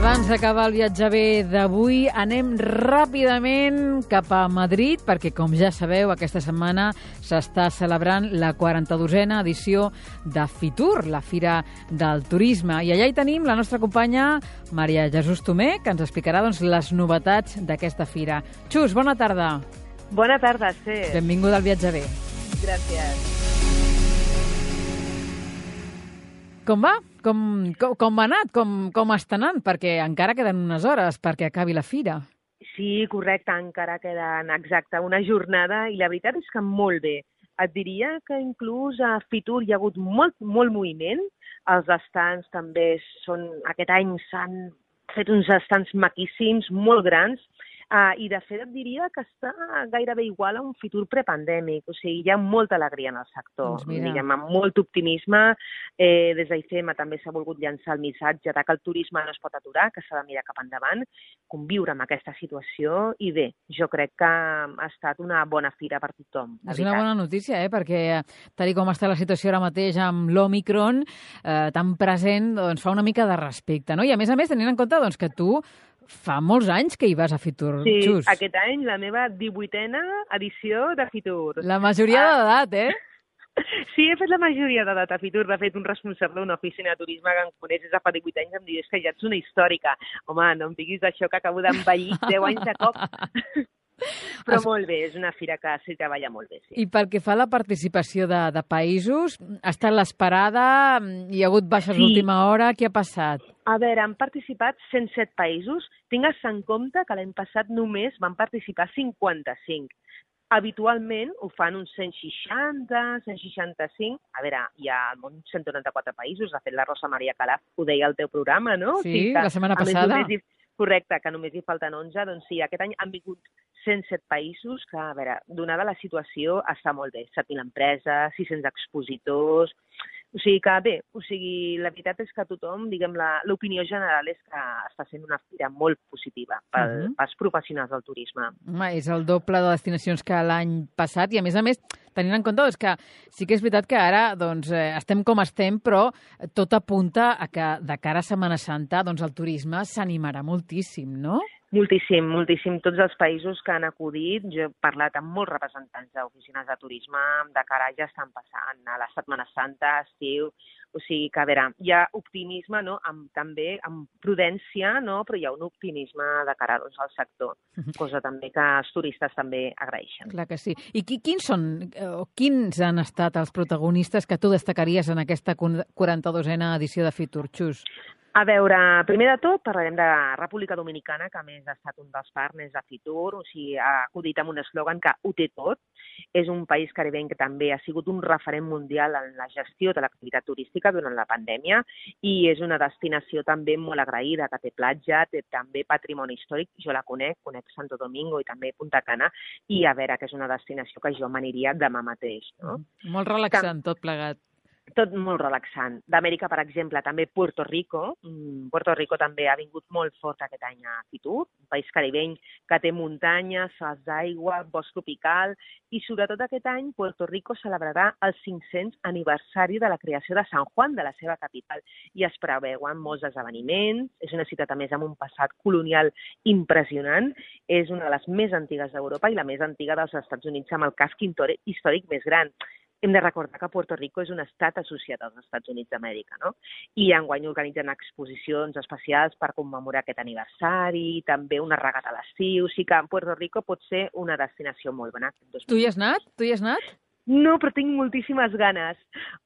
Abans d'acabar el viatge bé d'avui, anem ràpidament cap a Madrid, perquè, com ja sabeu, aquesta setmana s'està celebrant la 42a edició de Fitur, la Fira del Turisme. I allà hi tenim la nostra companya Maria Jesús Tomé, que ens explicarà les novetats d'aquesta fira. Xus, bona tarda. Bona tarda, sí. Benvinguda al viatge bé. Gràcies. Com va? Com ha anat? Com està anant? Perquè encara queden unes hores perquè acabi la fira. Sí, correcte, encara queden exacte una jornada i la veritat és que molt bé. Et diria que inclús a Fitur hi ha hagut molt moviment. Els estants també aquest any s'han fet uns estants maquíssims, molt grans, i de fet et diria que està gairebé igual a un Fitur prepandèmic. O sigui, hi ha molta alegria en el sector, diguem, amb molt optimisme. Des d'IFEMA també s'ha volgut llançar el missatge que el turisme no es pot aturar, que s'ha de mirar cap endavant, conviure amb aquesta situació, i bé, jo crec que ha estat una bona fira per tothom. És una bona notícia, perquè tal com està la situació ara mateix amb l'Òmicron, tan present, doncs fa una mica de respecte, no? I a més, tenint en compte que tu fa molts anys que hi vas a Fitur, Xus. Sí, aquest any la meva 18a edició de Fitur. La majoria d'edat, Sí, he fet la majoria d'edat a Fitur. De fet, un responsable d'una oficina de turisme que em coneix des de fa 18 anys em diu que ja ets una històrica. Home, no em diguis això, que acabo d'envellir 10 anys de cop. Però molt bé, és una fira que s'hi treballa molt bé. Sí. I pel que fa a la participació de països, ha estat l'esperada? Hi ha hagut baixes d'última hora? Què ha passat? A veure, han participat 107 països. Tingues en compte que l'any passat només van participar 55. Habitualment ho fan uns 160, 165. A veure, hi ha al món 194 països. De fet, la Rosa Maria Calaf ho deia al teu programa, no? Sí, la setmana passada. Correcte, que només hi falten 11. Doncs sí, aquest any han vingut 107 països que, a veure, donada la situació, està molt bé. 7.000 empreses, 600 expositors. O sigui que bé, la veritat és que tothom, diguem, l'opinió general és que està sent una fira molt positiva pels professionals del turisme. És el doble de destinacions que l'any passat i, a més, tenint en compte que sí que és veritat que ara estem com estem, però tot apunta a que de cara a Setmana Santa el turisme s'animarà moltíssim, no? Moltíssim. Tots els països que han acudit, jo he parlat amb molts representants d'oficines de turisme, de cara ja estan passant a la Setmana Santa, estiu, o sigui que, a veure, hi ha optimisme, no? També amb prudència, no? Però hi ha un optimisme de cara al sector, cosa també que els turistes també agraeixen. Clar que sí. I quins han estat els protagonistes que tu destacaries en aquesta 42a edició de Fitur, Xus? A veure, primer de tot parlarem de República Dominicana, que a més ha estat un dels partners de Fitur, o sigui, ha acudit amb un eslògan que ho té tot. És un país caribenc que també ha sigut un referent mundial en la gestió de l'activitat turística durant la pandèmia i és una destinació també molt agraïda, que té platja, té també patrimoni històric. Jo la conec Santo Domingo i també Punta Cana, i a veure, que és una destinació que jo m'aniria demà mateix. No? Molt relaxant, tot plegat. Tot molt relaxant. D'Amèrica, per exemple, també Puerto Rico. Puerto Rico també ha vingut molt fort aquest any a Fitur, un país caribeny que té muntanyes, salts d'aigua, bosc tropical, i sobretot aquest any Puerto Rico celebrarà el 500 aniversari de la creació de San Juan, de la seva capital, i es preveuen molts esdeveniments. És una ciutat, a més, amb un passat colonial impressionant. És una de les més antigues d'Europa i la més antiga dels Estats Units, amb el casc històric més gran. Hem de recordar que Puerto Rico és un estat associat als Estats Units d'Amèrica, no? I enguany organitzen exposicions especials per commemorar aquest aniversari, també una regata a l'estiu, o sigui que Puerto Rico pot ser una destinació molt bona. Tu hi has anat? No, però tinc moltíssimes ganes.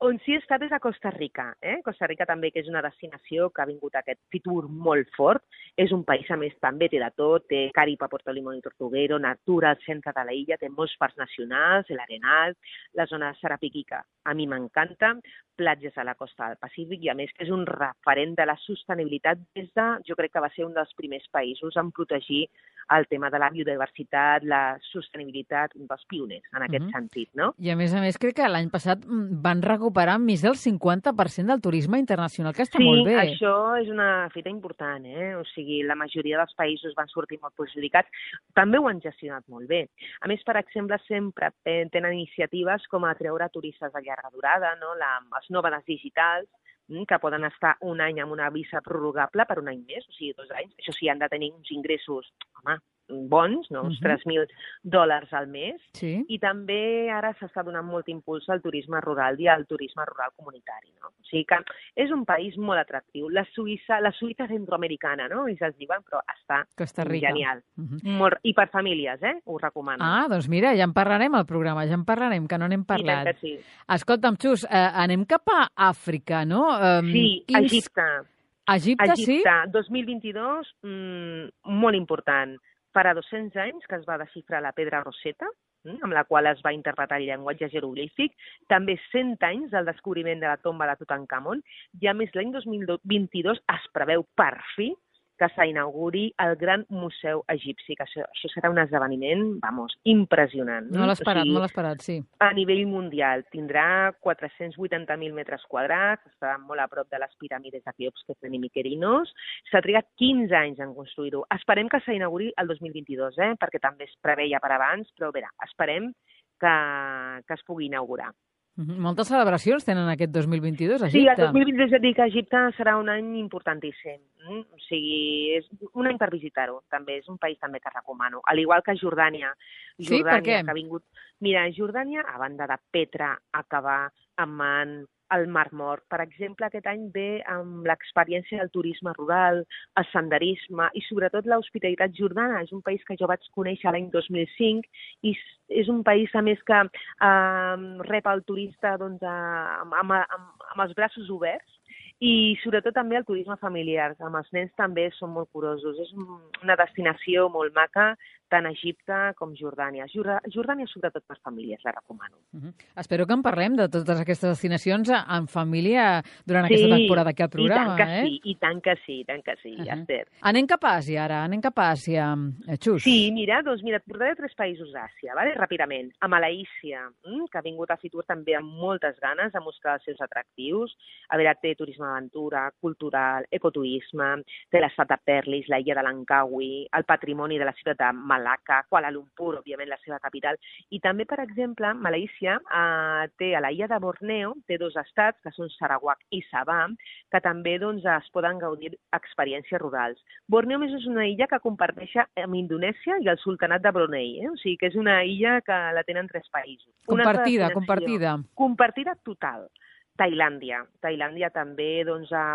On sí he estat és a Costa Rica. Costa Rica també, que és una destinació que ha vingut a aquest Fitur molt fort. És un país, a més, també té de tot. Té Caripa, Puerto Limón i Tortuguero, natura al centre de l'illa, té molts parcs nacionals, l'Arenal, la zona de Sarapiquí, que a mi m'encanta, platges a la costa del Pacífic, i a més que és un referent de la sostenibilitat jo crec que va ser un dels primers països en protegir el tema de la biodiversitat, la sostenibilitat, un dels pioners en aquest sentit, no? I a més, crec que l'any passat van recuperar més del 50% del turisme internacional, que està molt bé. Sí, això és una fita important, O sigui, la majoria dels països van sortir molt perjudicats, també ho han gestionat molt bé. A més, per exemple, sempre tenen iniciatives com atreure turistes de llarga durada, no? Els nòmades digitals, que poden estar un any amb una visa prorrogable per un any més, o sigui, 2 anys. Això sí, han de tenir uns ingressos, bons, no? Uns $3.000 al mes. Sí. I també ara s'està donant molt impuls al turisme rural i al turisme rural comunitari, no? O sigui que és un país molt atractiu. La Suïssa centroamericana, no? I se'ls diuen, però està Costa Rica. Genial. I per famílies, ho recomano. Ah, doncs mira, ja en parlarem al programa, ja en parlarem, que no n'hem parlat. I tant que sí. Escolta'm, Xus, anem cap a Àfrica, no? Sí, Egipte. Egipte, sí? 2022, molt important. Farà 200 anys que es va desxifrar la pedra Rosetta, amb la qual es va interpretar el llenguatge jeroglífic, també 100 anys del descobriment de la tomba de Tutankamon, i a més l'any 2022 es preveu per fi que s'inauguri el Gran Museu Egipci, que això serà un esdeveniment, impressionant. Molt esperat, sí. A nivell mundial tindrà 480.000 metres quadrats, estarà molt a prop de les piràmides de Keops, que tenen Miquerinos. S'ha trigat 15 anys en construir-ho. Esperem que s'inauguri el 2022, perquè també es preveia per abans, però esperem que es pugui inaugurar. Moltes celebracions tenen aquest 2022 a Egipte. Sí, el 2022 ja dic que Egipte serà un any importantíssim. O sigui, és un any per visitar-ho, també. És un país també que recomano. Al igual que Jordània. Sí, per què? Que ha vingut... Mira, Jordània, a banda de Petra, Aqaba, Amman, el Mar Mort, per exemple, aquest any ve amb l'experiència del turisme rural, el senderisme i sobretot l'hospitalitat jordana. És un país que jo vaig conèixer l'any 2005 i és un país, a més, que rep el turista amb els braços oberts i sobretot també el turisme familiar. Amb els nens també són molt curosos. És una destinació molt maca, tant Egipte com Jordània. Jordània, sobretot per famílies, la recomano. Espero que en parlem de totes aquestes destinacions en família durant aquesta temporada aquí al programa. I tant que sí, Esther. Anem cap a Àsia, ara. Anem cap a Àsia, Xus. Sí, mira, et portaré 3 països d'Àsia, ràpidament. A Malaísia, que ha vingut a Fitur també amb moltes ganes de mostrar els seus atractius. A veure, té turisme d'aventura, cultural, ecoturisme, té l'estat de Perlis, la illa de Langkawi, el patrimoni de la ciutat de Malacca, Kuala Lumpur, òbviament, la seva capital. I també, per exemple, Malaísia té a la illa de Borneo, té 2 estats, que són Sarawak i Sabah, que també es poden gaudir experiències rurals. Borneo, més, és una illa que comparteix amb Indonèsia i el Sultanat de Brunei. O sigui que és una illa que la tenen 3 països. Compartida. Compartida total. Tailàndia també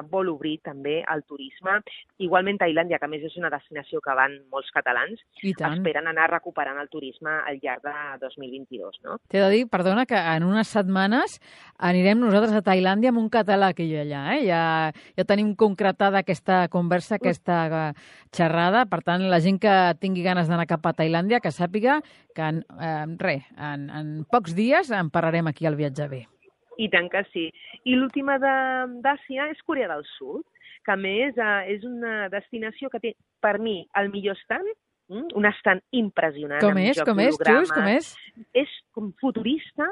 vol obrir també el turisme. Igualment Tailàndia, que a més és una destinació que van molts catalans, esperen anar recuperant el turisme al llarg de 2022. No? T'he de dir, perdona, que en unes setmanes anirem nosaltres a Tailàndia amb un català que hi ha allà. Ja tenim concretada aquesta conversa, aquesta xerrada. Per tant, la gent que tingui ganes d'anar cap a Tailàndia, que sàpiga que en pocs dies en parlarem aquí al Viatge B. I tant que sí. I l'última d'Àsia és Corea del Sud, que a més és una destinació que té, per mi, el millor estand, un estand impressionant. Com és? Xus, com és? És com futurista,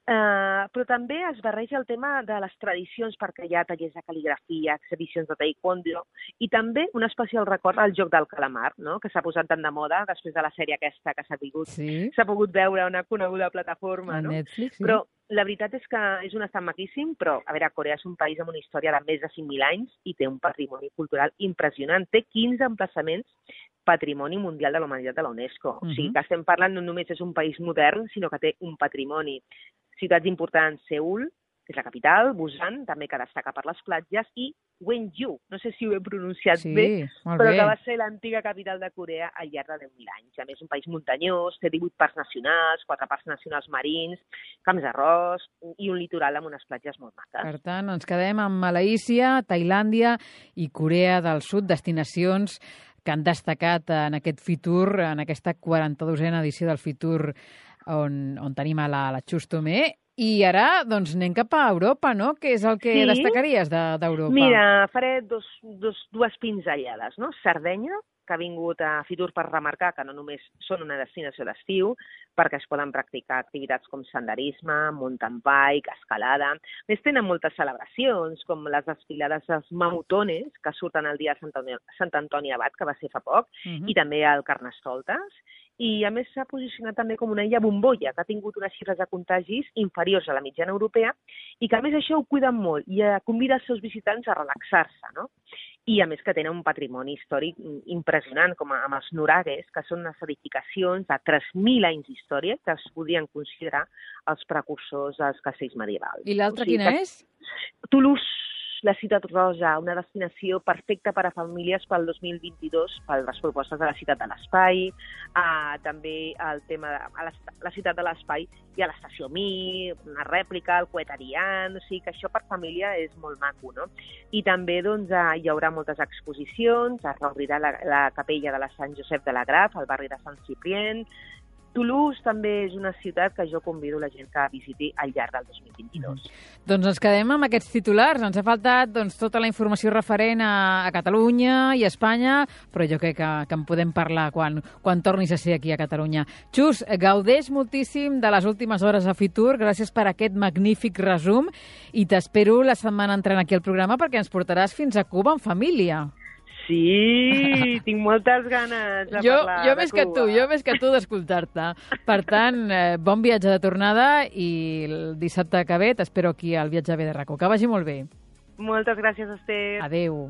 però també es barreja el tema de les tradicions, perquè hi ha tallers de cal·ligrafia, exhibicions de taekwondo, i també un especial record al joc del calamar, no? Que s'ha posat tant de moda després de la sèrie aquesta que s'ha pogut veure a una coneguda plataforma. A Netflix, sí. Però la veritat és que és un estat maquíssim, però, a veure, Corea és un país amb una història de més de 5.000 anys i té un patrimoni cultural impressionant. Té 15 emplaçaments Patrimoni Mundial de la Humanitat de la UNESCO. O sigui que estem parlant no només és un país modern, sinó que té un patrimoni. Ciutats importants, Seül, que és la capital, Busan, també que destaca per les platges, i Gwangju, no sé si ho he pronunciat bé, però que va ser l'antiga capital de Corea al llarg de 10.000 anys. A més, un país muntanyós, té 18 parcs nacionals, 4 parcs nacionals marins, camps d'arròs i un litoral amb unes platges molt maques. Per tant, ens quedem amb Malaísia, Tailàndia i Corea del Sud, destinacions que han destacat en aquest Fitur, en aquesta 42a edició del Fitur, on tenim a la Xus Tomé. I ara, doncs, anem cap a Europa, no? Què és el que destacaries d'Europa? Mira, faré dues pinzellades, no? Sardenya, que ha vingut a Fitur per remarcar que no només són una destinació d'estiu, perquè es poden practicar activitats com senderisme, mountain bike, escalada. A més, tenen moltes celebracions, com les desfilades dels mamutones, que surten el dia de Sant Antoni Abat, que va ser fa poc, i també el Carnestoltes. I, a més, s'ha posicionat també com una illa bombolla, que ha tingut unes xifres de contagis inferiors a la mitjana europea i que, a més, això ho cuiden molt i convida els seus visitants a relaxar-se, no? I, a més, que tenen un patrimoni històric impressionant, com amb els nuragues, que són unes edificacions de 3.000 anys d'història que es podien considerar els precursors dels castells medievals. I l'altra quina és? Toulouse, la Ciutat Roja, una destinació perfecta per a famílies pel 2022, per les propostes de la Ciutat de l'Espai, també el tema de la Ciutat de l'Espai i a l'Estació Mir, una rèplica, el Coet Ariane, o sigui que això per família és molt maco, no? I també doncs, hi haurà moltes exposicions, es reobrirà la capella de la Sant Josep de la Graf, al barri de Sant Ciprient. Toulouse també és una ciutat que jo convido la gent que visiti al llarg del 2022. Doncs ens quedem amb aquests titulars. Ens ha faltat tota la informació referent a Catalunya i a Espanya, però jo crec que en podem parlar quan tornis a ser aquí a Catalunya. Xus, gaudeix moltíssim de les últimes hores a Fitur. Gràcies per aquest magnífic resum i t'espero la setmana entrant aquí al programa perquè ens portaràs fins a Cuba en família. Sí, tinc moltes ganes de parlar jo de més Cuba. Jo més que tu d'escoltar-te. Per tant, bon viatge de tornada i el dissabte que ve t'espero aquí al Viatge Bé de RACO. Que vagi molt bé. Moltes gràcies, Esther. Adéu.